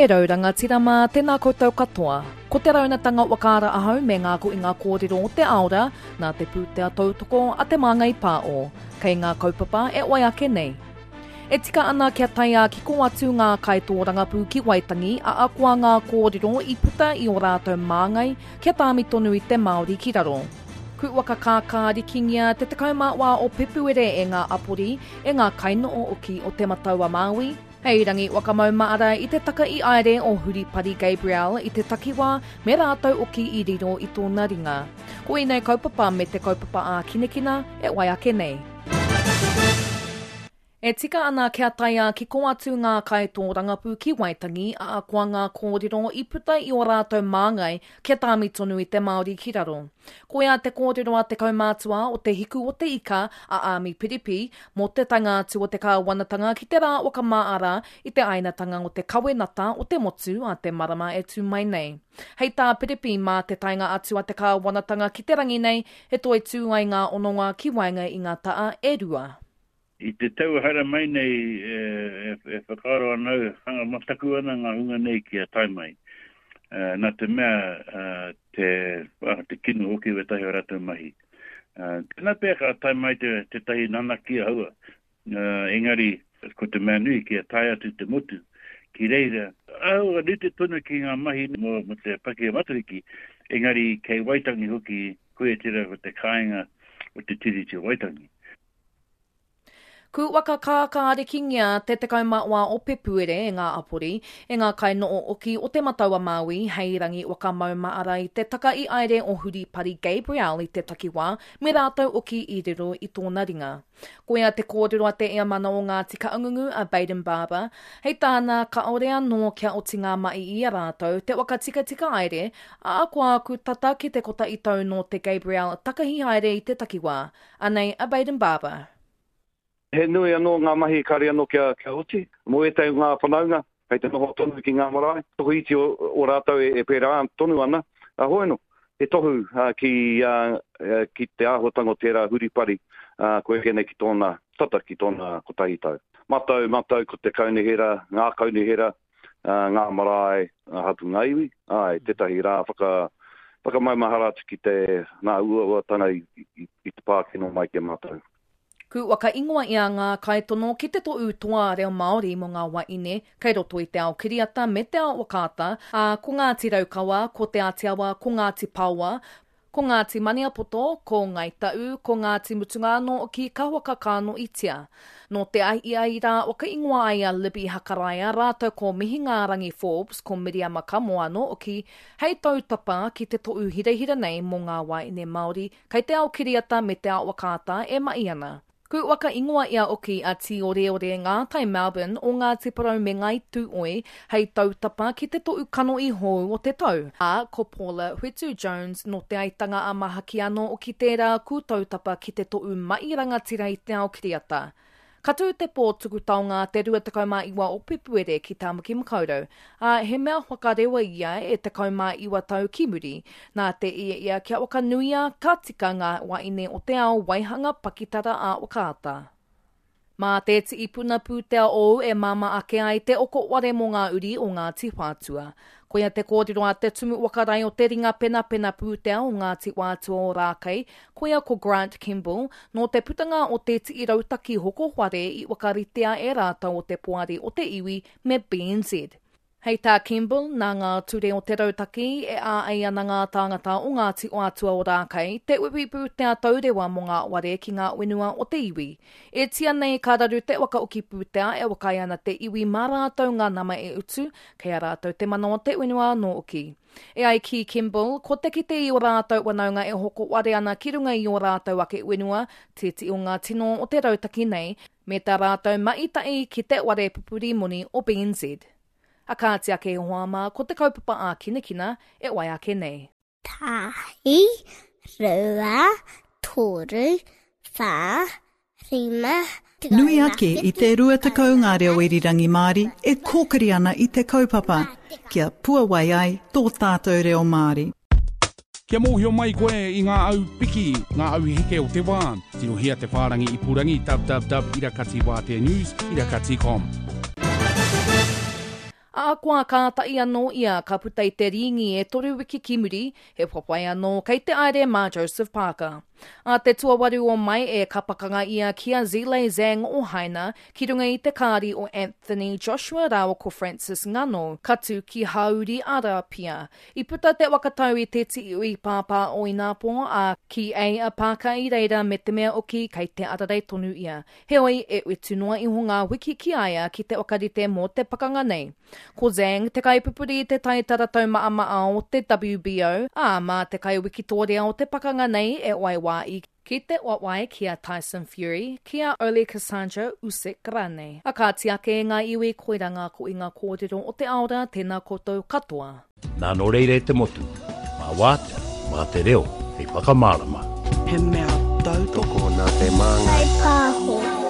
E rau rangatira mā, tēnā koutou katoa. Ko te raunatanga whakaara ahau me ngā kohinga kōrero o te aora nā te pūtea tautoko a Te Māngai Pāo, kei ngā kaupapa e wai ake nei. E tika ana kia tae ā-kiko atu ngā kaitōrangapū ki Waitangi ahakoa ngā kōrero i puta i ō rātou māngai kia tāmi tonu i te Māori ki raro. Kūwaka kākārikingia te 14 o Pepuere e ngā apori, e ngā kainooki o Te Matau-a-Māui, Hei rangi whakamaumahara i te taka i aere o Huripari Gabrielle i te takiwā me rātou oki i riro i tōna ringa. Ko ēnei kaupapa me te kaupapa ākinakina e wai ake nei. E tika ana kia tae ā-kiko atu ngā kaitōrangapū ki Waitangi, ahakoa ngā kōrero i puta i ō rātou māngai kia tāmi tonu i te Māori ki raro. Koia te kōrero a te kaumātua o Te Hiku o te Ika, a Āmi Piripi, mō te taenga atu o te kāwanatanga ki te rā whakamāra i te āinatanga o te kawenata o te motu a te marama e tū mai nei. Hei tā Piripi, mā te taenga atu a te kāwanatanga ki te rangi nei, e toitū ai ngā hononga ki waenga i ngā taa e rua. I te tau haere mai nei e whakaaro ana au, hanga mataku ana ngā hunga nei kia tae mai. Nā te mea te kino hoki o ētahi o rātou mahi. Tēnā pea ka tae mai tētahi nanakia haua, engari ko te mea nui kia tae atu te motu ki reira. Āhua rite tonu ki ngā mahi mō te paki o Matariki, engari kei Waitangi hoki koia tērā ko te kāinga o te Tiriti o Waitangi. Ku waka kākārikingia te 14 o Pepuere e ngā apori, e ngā kainoo-oki o Te Matau-a-Māui hei rangi waka maumaara i te taka i aere o Huripari Gabrielle i te takiwā me rātou oki i riro i tōna ringa. Koia te kōrero a te Eamana o Ngāti Kaungungu a Bayden Barber, hei tāna kāore anō kia oti ngā mahi i a rātou te waka tikatika aere, ā, koa aku tata ki te kotahi tau nō te Gabrielle takahi haere i te takiwā. Anei a Bayden Barber. He nui anō ngā mahi kāre anō kia oti. Mō ētahi o ngā whanaunga, kei te noho tonu ki ngā marae, tokoiti o rātou e pērā tonu ana. Hoi anō, he tohu ki te āhuatanga o tērā huripari kua eke nei ki tōna tata ki tōna kotahi tau. Matau, matau ko te kaunihera, ngā kaunihera, ngā marae, ngā hapū, ngā iwi, āe, tētahi rā whaka, whakamaumahara atu ki te, ngā uauatanga i, i, i te pā kino mai ki a mātou. Ku whakaingoa ia ngā kaitono ki te toʻu toa reo Māori mō ngā waeine kei roto i te ao kiriata me te ao whakaata, ā, ko Ngāti Raukawa, ko Te Ātiawa, ko Ngāti Paoa, Ko Ngāti Maniapoto, ko Ngāi Taʻu, ko Ngāti Mutunga anō hoki ka whakakānoitia. Nō te ahiahi rā whakaingoa ai a Libby Hakaraia rātou ko Mihingārangi Forbes, ko Miriama Kamo anō hoki hei tautapa ki te toʻu hirahira nei mō ngā wāhine Māori kei te ao kiriata me te ao whakaata e mahi ana. Ku waka ingoa ia oki a Tīoreore Ngātai Melbourne o Ngāti Porou me Ngāi Tūoi hei tautapa ki te toʻu kanohi hou o te tau, ā, ko Paula Whetu Jones nō Te Aitanga-a-Mahaki anō oki tērā ku tautapa ki te toʻu maʻi rangatira i te ao kiriata. Ka tū te pō tuku taonga te 29 o Pepuere ki Tāmaki Makaurau, ā, he mea whakarewa ia e 19 tau ki muri, nā te ia ia kia whakanuia ka tika ngā waeine o te ao waihanga pakitara ā-whakaata. Mā te tii puna pūtea ōu e māmā ake ai te oko ware mō ngā uri o Ngāti Whātua. Koia te kōrero a te Tumu Whakarae o te Ringa Penapena Pūtea o Ngāti Whātua o Rākei, koia ko Grant Kemble, nō te putanga o te tii rautaki hoko whare i whakaritea e rātou o te Poari o te Iwi me BNZ. Hei tā Kemble, nā ngā ture o te rautaki e āei ana ngā tāngata o Ngāti Whātua o Rākei te uiui pūtea taurewa mō ngā ware ki ngā whenua o te iwi. E tia nei ka raru te whakaoki pūtea e whakaae ana te iwi mā rātou ngā nama e utu, kei a rātou te mana o te whenua anō hoki. E ai ki Kemble, ko te kite i ō rātou whanaunga e hoko ware ana ki runga i ō rātou ake whenua, tētehi o ngā tino o te rautaki nei, me tā rātou maʻitaʻi ki te ware pupuri moni o BNZ. A kāti ake e hoa mā, ko te kaupapa ākinakina e wai ake nei. Tahi, rua, toru, wha, rima, Nui ake i te 20 ngā reo irirangi Māori e kōkiri ana i te kaupapa, kia puawai ai tō tātou reo Māori. Kia mōhio mai koe i ngā au piki, ngā au heke o te wā, tirohia te whārangi ipurangi www irakatiwāteanews irakati com. A. Ahakoa kātahi anō ia ka puta i te rīngi e toru wiki ki muri, he whawhai anō kei te aere mā Joseph Parker. Ā te tuawaru o Mai e ka pakanga ia ki a Zhilei Zhang o Haina ki runga i te kāri o Anthony Joshua rāua ko Francis Ngannou, ka tū ki Hāuri Arapia. I puta te whakatau i te tīui pāpā o ināpō, ā, kī ai a Parker i reira me te mea oki kei te ararei tonu ia. Heoi, e utu noa iho ngā wiki ki a ia ki te whakarite mō te pakanga nei. Ko Zhang te kaipupuri i te taitara taumaʻamaʻa o te WBO, ā, mā te kaiwikitōria o te pakanga nei e waiwā i ki te wawae ki a Tyson Fury, ki a Oleksandr Usyk rānei. A kāti ake e ngā iwi, koirā ngā kohinga kōrero o te ao rā, tēnā koutou katoa. Nā nō reira e te motu, mā wātea, mā te reo hei whakamārama. He mea tautoko. Tokona te māngai. Whaipāho.